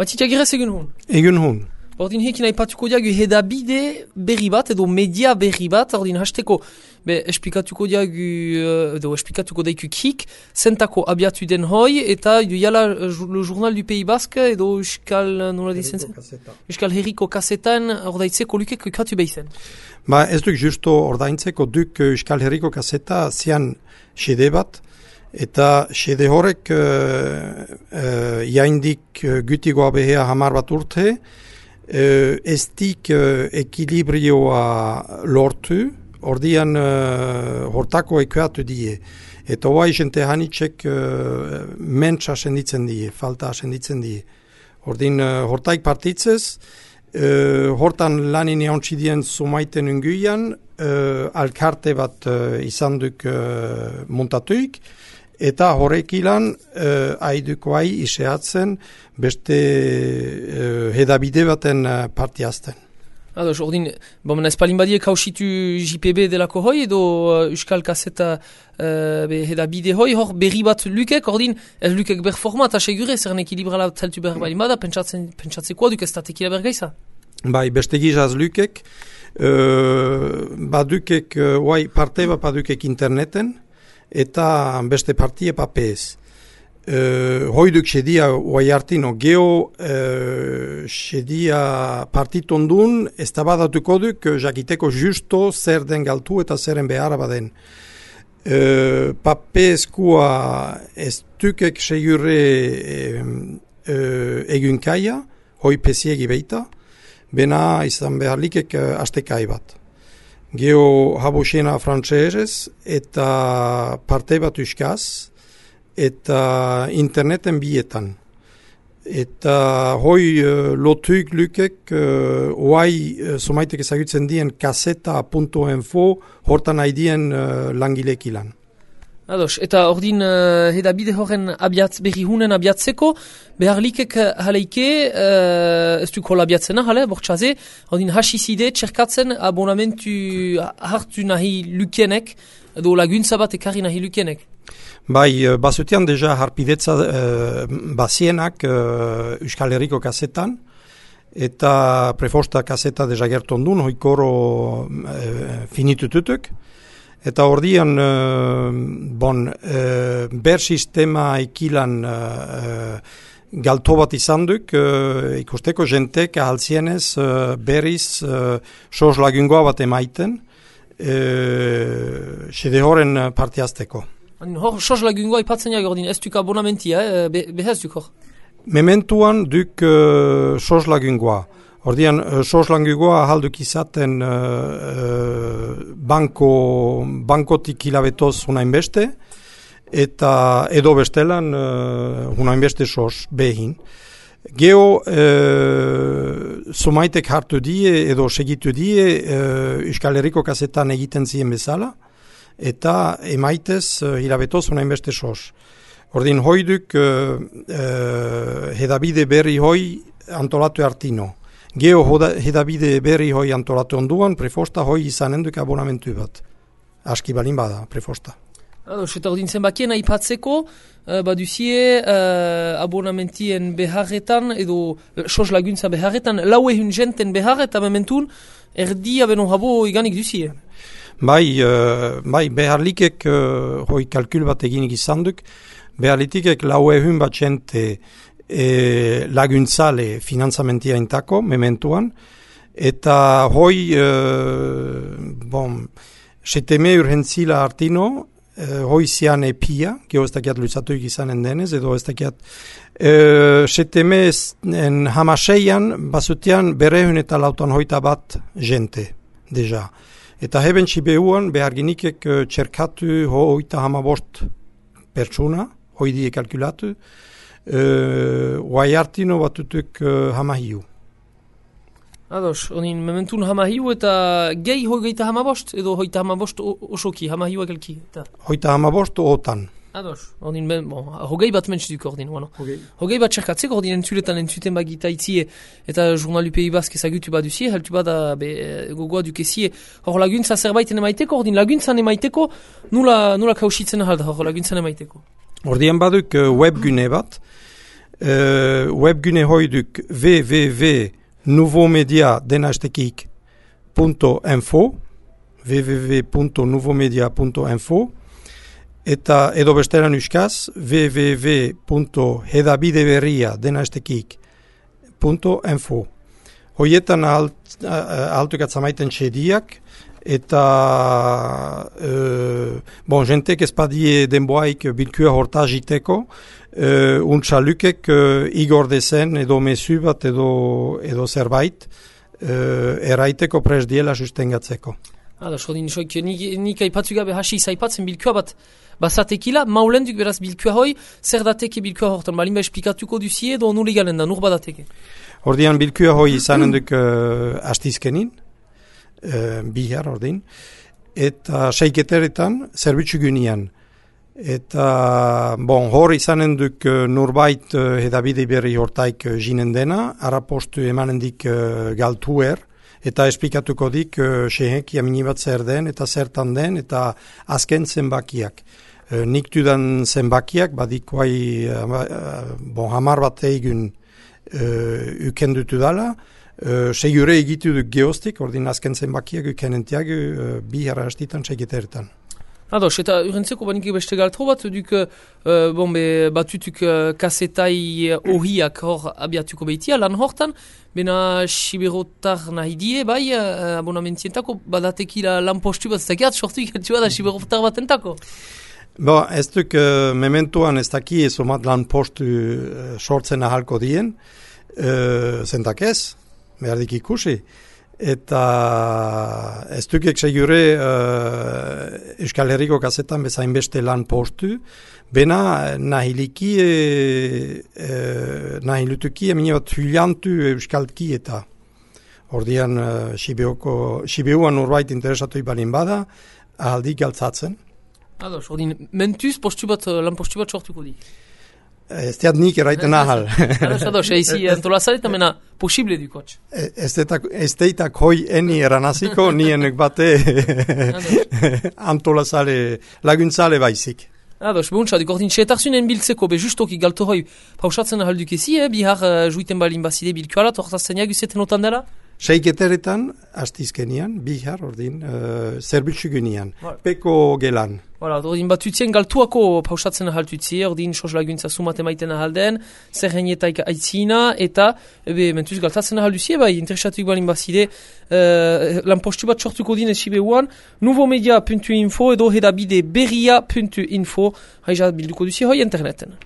Batita girez egun hon? Egun hon. Ordin hekin aipatuko diagu hedabide berri bat, edo media berri bat, ordin hasteko, esplikatuko diagu, edo esplikatuko daiku kik, zentako abiatu den hoi, eta jala le journal du Pays Basque, edo Euskal, nola dizen zen? Euskal Herriko kasetan, ordaitzeko lukek katu behizen. Ba, ez duk justo ordaintzeko duk Euskal Herriko kaseta zian xede bat, eta xede horrek jaindik gutigoa behea hamar bat urte, estik ekilibrioa lortu, ordian hortako ekuatu die. Eta hoa jente hanitxek mentsa senditzen die, falta senditzen die. Ordin hortaik partitzez, hortan lanin eontxidien sumaiten unguian, alkarte bat izan duk montatuik, eta horrek ilan haiduko iseatzen beste hedabide baten partiazten. Ados, ordin, bomen espalin badiek hausitu JPB delako hoi edo Euskal Kaseta hedabide hoi, hor berri bat lukek, ordin, ez lukek ber format, asegure, zeren ekilibrala zeltu behar bali bada, pentsatzekoa duk ez tatekila bergaiza? Bai, beste gizaz lukek, badukek, parte bat badukek interneten, eta beste partie papez. Hoiduk sedia oai hartino, geho sedia partitondun ez da badatuko duk jakiteko justo zer den galtu eta zeren beharra baden. Papezkoa ez dukek segure egunkaia, hoi pesiegi beita, bena izan behar likek astekai bat. Geho habusena frantzesez eta parte bat euskaz, eta interneten bietan. Eta hoi lotuik lukek oai somaitek ezagutzen dien kaseta.info hortan haidien langilek ilan. Ados, eta ordin hedabide horren berri hunen abiatzeko, behar likek haleike, ez du kola abiatzena, hale, bortxaze, ordin hasizide txerkatzen abonamentu hartu nahi lukenek, edo laguntza bat ekarri nahi lukenek. Bai, bazutian deja harpidetza bazienak Euskal Herriko kasetan, eta prefosta kaseta deja gertondun, hoikoro finitututuk. Eta ordian, ber sistema ikilan galto bat izan duk, ikusteko jentek ahaltzienez berriz sos lagungoa bat emaiten, xede horren partiazteko. Hor, sos lagungoa ipatzen jak ordin, ez duk abonamentia, behez duk hor? Mementuan duk sos lagungoa. Ordian, sos lagungoa ahalduk izaten bankotik hilabetoz unain beste, eta edo bestelan unain beste sos behin. Geho, somaitek hartu die edo segitu die Euskal Herriko kasetan egiten ziren bezala, eta emaitez hilabetoz unain beste sos. Ordin, hoiduk hedabide berri hoi antolatu hartino. Geho hedabide berri hoi antolatu onduan, prefosta hoi izanen duk abonamentu bat. Aski balin bada, prefosta. Ados, eta ordin zenbakien aipatzeko, baduzie abonamentien beharretan, edo sos laguntza beharretan, laue hun jenten behar eta mementun, erdia beno habo iganik duzie. Bai, behar likek hoi kalkul bat eginik izan duk, behar litikek laue hun bat jente laguntzale finanzamentia intako, mementuan, eta hoi, seteme urgentzila hartino, hoi zian epia, geho ez dakiat lutzatuik izanen denez, edo ez dakiat, seteme hamaseian, bazutian berehun eta lautan hoita bat jente, deja. Eta heben txibehuan behar ginikek txerkatu hoita hamabost pertsuna, hoi die kalkulatu, oai hartino batutuk hamahiu. Ados, onin mementun hamahiu eta gehi hogeita hamabost, edo hoita hamabost osoki, hamahiu egelki? Hoita hamabost otan. Ados, ordin, hogei bat mentxiduk ordin, hogei bat txerkatzeko ordin entzuletan entzuten bagita itzie eta Journal du Pays Basque ezagutu baduzie, heltu bada gogoa dukezie, hor laguntza zerbaiten emaiteko, ordin laguntzan emaiteko, nula kausitzen ahalda hor laguntzan emaiteko. Ordien baduk webgune bat, webgune hoiduk www.nouveaumedia.info www.nouveaumedia.info eta edo besteran euskaz www.hedabideberria.info Hoietan altuk atzamaiten txediak eta jentek ezpadie denboaik bilkua horta jiteko untxalukek igordezen edo mesu bat edo zerbait eraiteko pres diela sustengatzeko. Nik aipatzu gabe hasi zaipatzen bilkua bat bazatekila, maulenduk beraz bilkua hoi, zer dateke bilkua hortan, balimba esplikatuko duzie edo nule galen da, nur badateke? Ordian bilkua hoi izanen duk astizkenin, bihar ordin, eta seiketeretan zerbitzu gynian. Eta, hor izanen duk nurbait hedabide berri hortaik jinen dena, arapostu emanendik galtuer, eta esplikatuko dik sehek jaminibat zer den, eta zertan den, eta azken zenbakiak. Nik dudan zenbakiak, badikoai hamar bat eigun ukendutu dala, segure egitu duk geostik, ordin azken zenbakiak ukenentiak bihar hastitan seiketeretan. Ados, eta urrentzeko banik beste galtro bat, duk batutuk kasetai ohiak hor abiatuko behitia, lan hortan, bena siberotar nahi die, bai, abonamentientako, badatekila lan postu bat, zakeat, sortu ikantua da siberotar batentako? Ez duk mementuan ez daki ezomat lan postu sortzen ahalko dien, zentak ez, behardik ikusi. Eta ez dukek segure Euskal Herriko kazetan bezain beste lan postu, bena nahilutuki emine bat huliantu Euskalki eta ordian Sibeuan urbait interesatu ibalin bada, ahaldik galtzatzen. Ados, ordin mentuz lan postu bat sortuko di? Ez teat nik eraiten ahal. Ados, eizi antolazare eta mena posible dukotx. Ez teitak hoi eni eranaziko, nienek bate antolazare laguntzale baizik. Ados, behuntzadik, ordin txetarzunen biltzeko, justoki galto hoi pausatzen ahalduk ezi, bihar juiten balin bazide bilkuala, tortazten jaguzeten otan dela? Seiketeretan, astizkenian, bihar, ordin, zerbitzu gynian, peko gelan. Ordin batutzien galtuako pausatzen ahaltutzie, ordin sos laguntza sumate maiten ahalden, zerrenietaik aitzina, eta mentuz galtatzen ahalduzie, bai, interesatuik balin bazide, lan postu bat sortuko din esibeuan, nouveaumedia.info edo hedabideberria.info, haizat bilduko duzie hoi interneten.